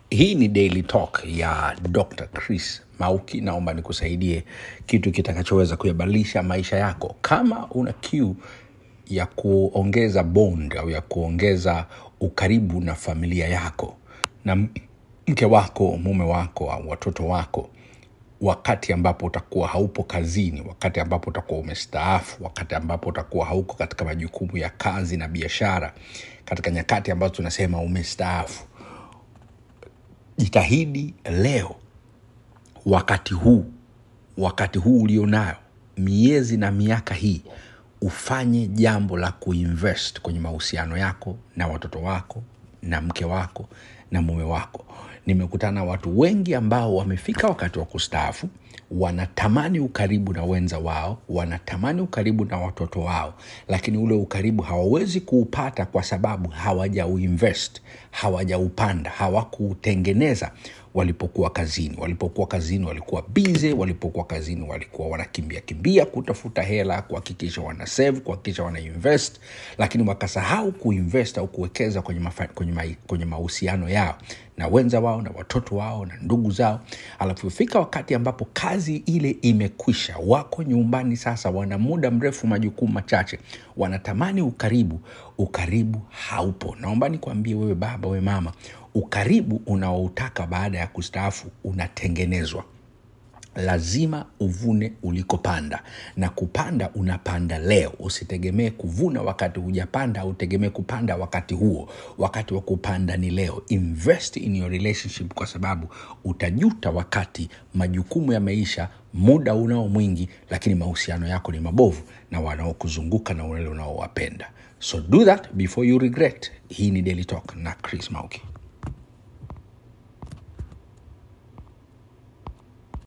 Hii ni Daily Talk ya Dr. Chris Mauki. Naomba nikusaidie kitu kitakachoweza kuyabadilisha maisha yako. Kama una kiu ya kuongeza bond au ya kuongeza ukaribu na familia yako na mke wako, mume wako au watoto wako, wakati ambapo utakuwa haupo kazini, wakati ambapo utakuwa umestaafu, wakati ambapo utakuwa hauko katika majukumu ya kazi na biashara, katika nyakati ambazo tunasema umestaafu, jitahidi leo, wakati huu ulionayo, miezi na miaka hii, ufanye jambo la kuinvest kwenye mahusiano yako na watoto wako na mke wako na mume wako. Nimekutana na watu wengi ambao wamefika wakati wa kustaafu, wanatamani ukaribu na wenza wao, wanatamani ukaribu na watoto wao, lakini ule ukaribu hawawezi kuupata kwa sababu hawajauinvest, hawajaupanda, hawakuutengeneza walipokuwa kazini. Walipokuwa kazini walikuwa busy, walipokuwa kazini walikuwa wanakimbia kimbia kutafuta hela, kuhakikisha wana save, kuhakikisha wana invest, lakini wakasahau kuinvest au kuwekeza kwenye mahusiano yao na wenza wao na watoto wao na ndugu zao. Alafu fika wakati ambapo kazi ile imekwisha, wako nyumbani sasa, wana muda mrefu, majukumu machache, wanatamani ukaribu, ukaribu haupo. Naomba nikwambie wewe baba, wewe mama, ukaribu unaoutaka baada ya kustaafu unatengenezwa. Lazima uvune ulikopanda, na kupanda unapanda leo. Usitegemee kuvuna wakati hujapanda, utegemee kupanda wakati huo. Wakati wa kupanda ni leo. Invest in your relationship, kwa sababu utajuta wakati majukumu ya maisha, muda unao mwingi, lakini mahusiano yako ni mabovu na wanaokuzunguka na wale unaowapenda. So do that before you regret. Hii ni Daily Talk na Chris Mauki.